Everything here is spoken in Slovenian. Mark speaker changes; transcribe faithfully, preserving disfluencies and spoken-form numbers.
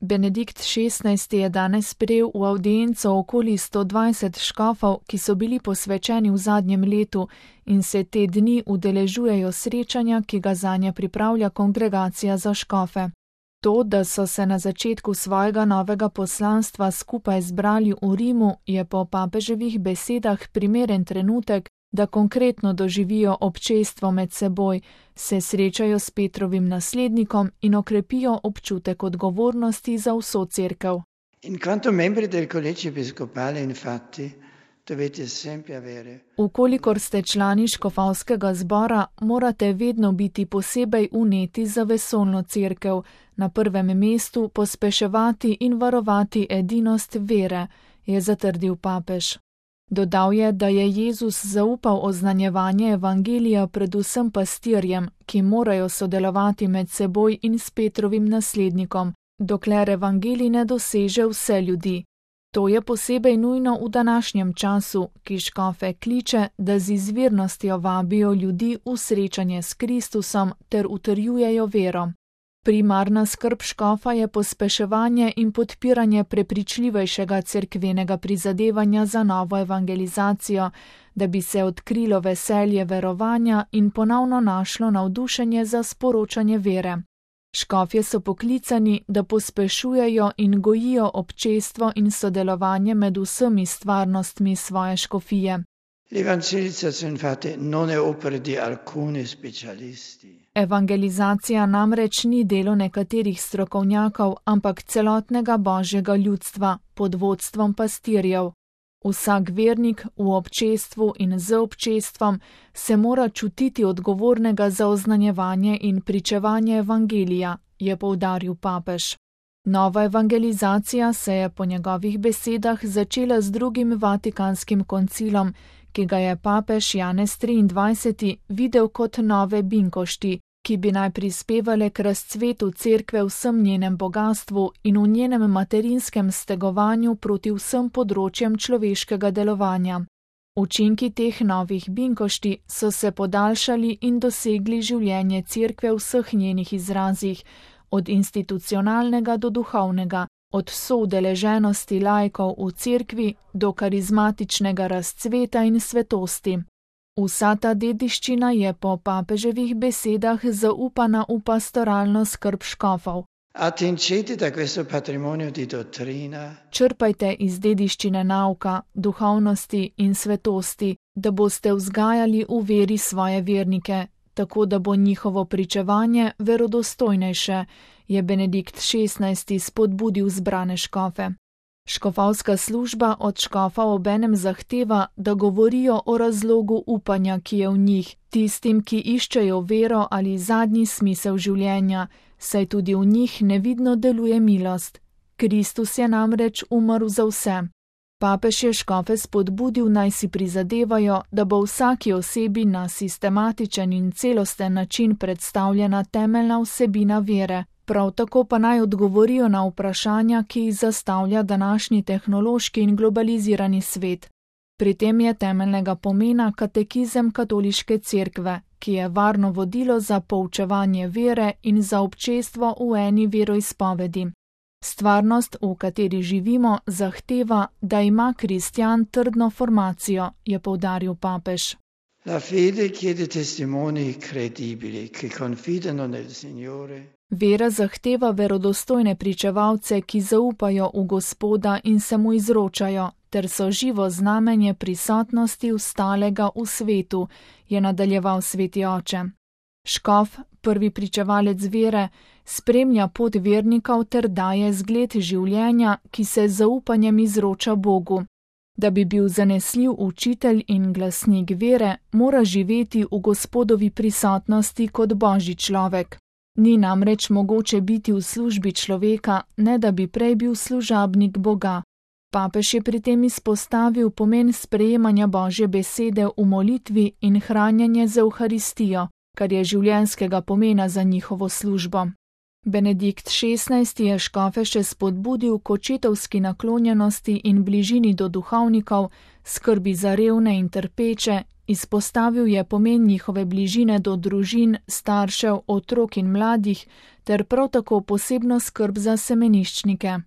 Speaker 1: Benedikt šestnajsti je danes sprejel v avdienco okoli sto dvajset škofov, ki so bili posvečeni v zadnjem letu in se te dni udeležujejo srečanja, ki ga zanje pripravlja kongregacija za škofe. To, da so se na začetku svojega novega poslanstva skupaj zbrali v Rimu, je po papeževih besedah primeren trenutek, da konkretno doživijo občestvo med seboj, se srečajo s Petrovim naslednikom in okrepijo občutek odgovornosti za vso cerkev.
Speaker 2: In quanto membri del collegio episcopale, infatti, dovete sempre avere.
Speaker 1: Ukolikor ste člani škofovskega zbora, morate vedno biti posebej uneti za vesoljno cerkev, na prvem mestu pospeševati in varovati edinost vere, je zatrdil papež. Dodal je, da je Jezus zaupal oznanjevanje evangelija predvsem pastirjem, ki morajo sodelovati med seboj in s Petrovim naslednikom, dokler evangelij ne doseže vse ljudi. To je posebej nujno v današnjem času, ki škofe kliče, da z izvirnostjo vabijo ljudi v srečanje s Kristusom ter utrjujejo vero. Primarna skrb škofa je pospeševanje in podpiranje prepričljivejšega cerkvenega prizadevanja za novo evangelizacijo, da bi se odkrilo veselje verovanja in ponovno našlo navdušenje za sporočanje vere. Škofje so poklicani, da pospešujejo in gojijo občestvo in sodelovanje med vsemi stvarnostmi svoje škofije.
Speaker 2: L'evangelizzazione infatti non è opera di alcuni specialisti.
Speaker 1: Evangelizacija namreč ni delo nekaterih strokovnjakov, ampak celotnega božjega ljudstva pod vodstvom pastirjev. Vsak vernik v občestvu in z občestvom se mora čutiti odgovornega za oznanjevanje in pričevanje evangelija, je poudaril papež. Nova evangelizacija se je po njegovih besedah začela z drugim Vatikanskim koncilom, ki ga je papež Janez triindvajseti videl kot nove binkošti, ki bi naj prispevale k razcvetu cerkve v vsem njenem bogastvu in v njenem materinskem stegovanju proti vsem področjem človeškega delovanja. Učinki teh novih binkošti so se podaljšali in dosegli življenje cerkve v vseh njenih izrazih, od institucionalnega do duhovnega, od soudeleženosti laikov v cerkvi do karizmatičnega razcveta in svetosti. Vsa ta dediščina je po papeževih besedah zaupana v pastoralno skrb škofov.
Speaker 2: Attingete da questo patrimonio di dottrina.
Speaker 1: Črpajte iz dediščine nauka, duhovnosti in svetosti, da boste vzgajali v veri svoje vernike, tako da bo njihovo pričevanje verodostojnejše, je Benedikt šestnajsti spodbudil zbrane škofe. Škofovska služba od škofa obenem zahteva, da govorijo o razlogu upanja, ki je v njih, tistim, ki iščejo vero ali zadnji smisel življenja, saj tudi v njih nevidno deluje milost. Kristus je namreč umrl za vse. Papež je škofe spodbudil, naj si prizadevajo, da bo vsaki osebi na sistematičen in celosten način predstavljena temeljna vsebina vere. Prav tako pa naj odgovorijo na vprašanja, ki jih zastavlja današnji tehnološki in globalizirani svet. Pri tem je temeljnega pomena katekizem katoliške cerkve, ki je varno vodilo za poučevanje vere in za občestvo v eni veroizpovedi. Stvarnost, v kateri živimo, zahteva, da ima kristjan trdno formacijo, je poudaril papež.
Speaker 2: La fede chiede testimoni credibili che confidano nel Signore.
Speaker 1: Vera zahteva verodostojne pričevalce, ki zaupajo v Gospoda in se mu izročajo, ter so živo znamenje prisotnosti ustalega v svetu, je nadaljeval sveti oče. Škof, prvi pričevalec vere, spremlja pot vernikov ter daje zgled življenja, ki se z zaupanjem izroča Bogu. Da bi bil zanesljiv učitelj in glasnik vere, mora živeti v Gospodovi prisotnosti kot božji človek. Ni namreč mogoče biti v službi človeka, ne da bi prej bil služabnik Boga. Papež je pri tem izpostavil pomen sprejemanja Božje besede v molitvi in hranjenje z Evharistijo, kar je življenjskega pomena za njihovo službo. Benedikt šestnajsti je škofe še spodbudil k očetovski naklonjenosti in bližini do duhovnikov, skrbi za revne in trpeče Izpostavil je pomen njihove bližine do družin, staršev, otrok in mladih ter prav tako posebno skrb za semeniščnike.